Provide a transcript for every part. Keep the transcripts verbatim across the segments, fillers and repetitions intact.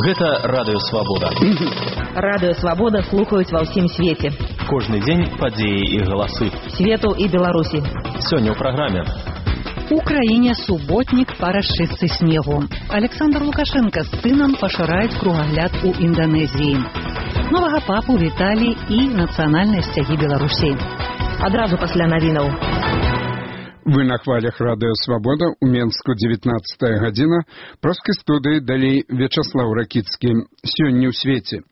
Гэта Радыё Свабода. Радыё Свабода слухаюць ва ўсім свеце. Кожны дзень падзеі і галасы. Свету і Беларусі. Сёння ў праграме. У краіне суботнік па расчыстцы снегу. Александр Лукашенко з сынам пашыраюць кругагляд у Інданезіі. Новага папу віталі і нацыянальныя сцягі Беларусі. Адразу пасля навінаў. Вы на хвалях Радыё Свабода, у Менску дзевятнаццатая гадзіна, проскай студыі далей Вячаслаў Ракіцкі. Сёння ў свеце.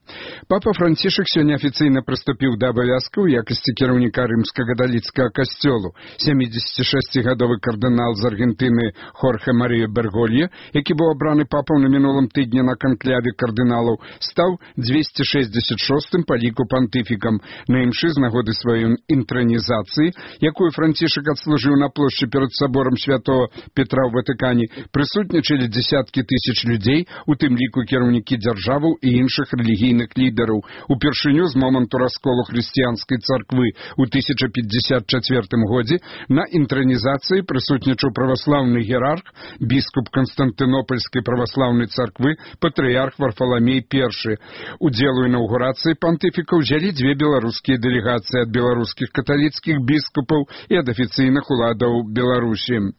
Папа Францішак сёння афіцыйна прыступіў да абавязкаў у якасці кіраўніка рымска-каталіцкага касцёлу. сямідзесяцішасцігадовы кардынал з Аргентыны Хорхе Мария Берголье, які быў абраны папаў на мінулым тыдні на канкляве кардыналаў, стаў дзвесце шэсцьдзесят шостым па ліку пантыфікам. На імшы з нагоды сваёй інтранізацыі, якую Францішак адслужыў на плошчы перад саборам святого Петра ў Ватыкане, прысутнічалі дзесяткі тысяч людзей, у тым ліку кіраўнікі дзяржаваў і іншых рэлігійных лідараў. Упершыню з моманту расколу хрысціянскай царквы ў тысяча пятьдесят чацвёртым годзе на інтранізацыі прысутнічаў праваслаўны іерарх, біскуп Канстантынопольскай праваслаўнай царквы, патрыярх Варфаламей першы. Удзел у інаўгурацыі пантыфіка ўзялі дзве беларускія дэлегацыі ад беларускіх каталіцкіх біскупаў і ад афіцыйных уладаў Беларусі.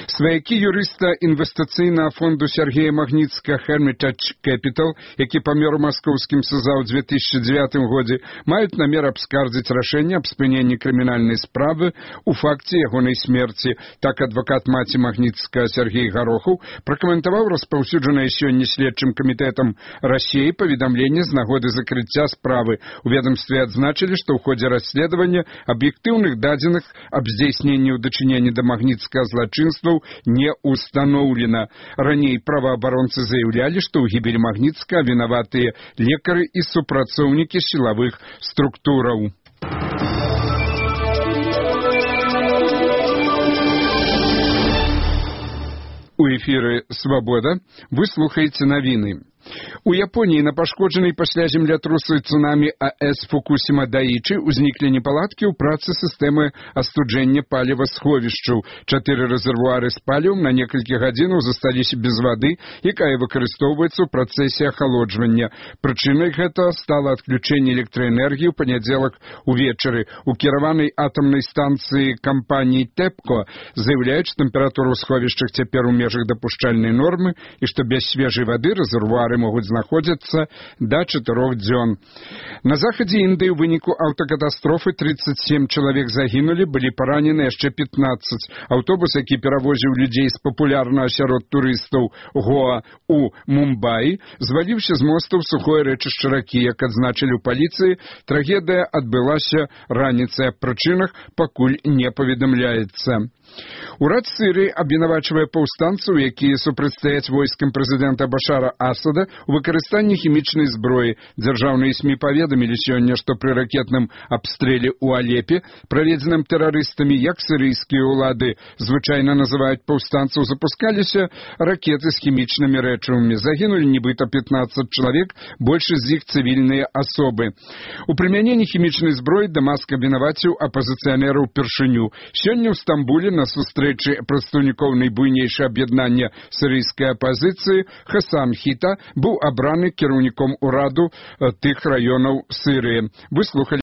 Сваякі юрыста інвестыцыйнага фонду Сергея Магніцкага Hermitage Capital, які памёр у маскоўскім СЗА ў две тысячи дзевятым годзе, маюць намер абскардзіць рашэнне аб спыненні крымінальнай справы у факце ягонай смерці. Так адвакат маці Магніцкага Сергей Гарохаў пракаментаваў распаўсюджанае сёння следчым камітэтам Расіі паведамленне з нагоды закрыцця справы. У ведамстве адзначылі, што ў ходзе расследавання аб'ектыўных дадзеных аб здзейсненні ў дачыненні да Магніцкага злачынства не установлена. Раней праваабаронцы заяўлялі, што ў гібелі Магніцкага вінаватыя лекары і супрацоўнікі сілавых структураў. У эфіры «Свабода» вы слухаеце навіны. У Японіі на пашкоджанай пасля землятрусу і цунамі АЭС Фукусіма Даічы ўзніклі непаладкі ў працы сістэмы астуджэння паліва-сховішчаў. Чатыры рэзервуары з палівам на некалькі гадзінаў засталіся без вады, якая выкарыстоўваецца ў працэсе ахалоджвання. Прычынай гэта стала адключэнне электраэнергіі ў панядзелак увечары. У кіраванай атамнай станцыі кампаніі ТЭПКО заяўляюць, што тэмпература ў сховішчах цяпер у межах дапушчальнай нормы і што без свежай вады рэзервуары могуць знаходзіцца да чатырох дзён. На захадзе Індыі ў выніку аўтакатастрофы тридцать семь чалавек загінулі, былі паранены яшчэ пятнадцать. Аўтобус, які перавозіў людзей з папулярнага сярод турыстаў Гоа у Мумбаі, зваліўся з моста ў сухое рэчышча ракі. Як адзначылі ў паліцыі, трагедыя адбылася раніцай. Аб прычынах пакуль не паведамляецца. Урад Сірыі абвінавачвае паўстанцаў, якія супрацьстаяць войскам прэзідэнта Башара Асада у выкарыстанні хімічнай зброі. Дзяржаўныя СМІ паведамілі сёння, што пры ракетным абстрэле ў Алепе, праведзеным тэрарыстамі, як сірыйскія ўлады звычайна называюць паўстанцаў, запускаліся ракеты з хімічнымі рэчывамі. Загінулі нібыта пятнадцать чалавек, большасць з іх цывільныя асобы. У прымяненні хімічнай зброі Дамаск абвінаваціў апазіцыянераў упершыню. Сёння ў Стамбуле на сустрэчы прадстаўнікоў найбуйнейшага аб'яднання сірыйскай апазіцыі Хасан Хіта быў абраны кіраўніком ураду тых раёнаў Сірыі. Вы слухалі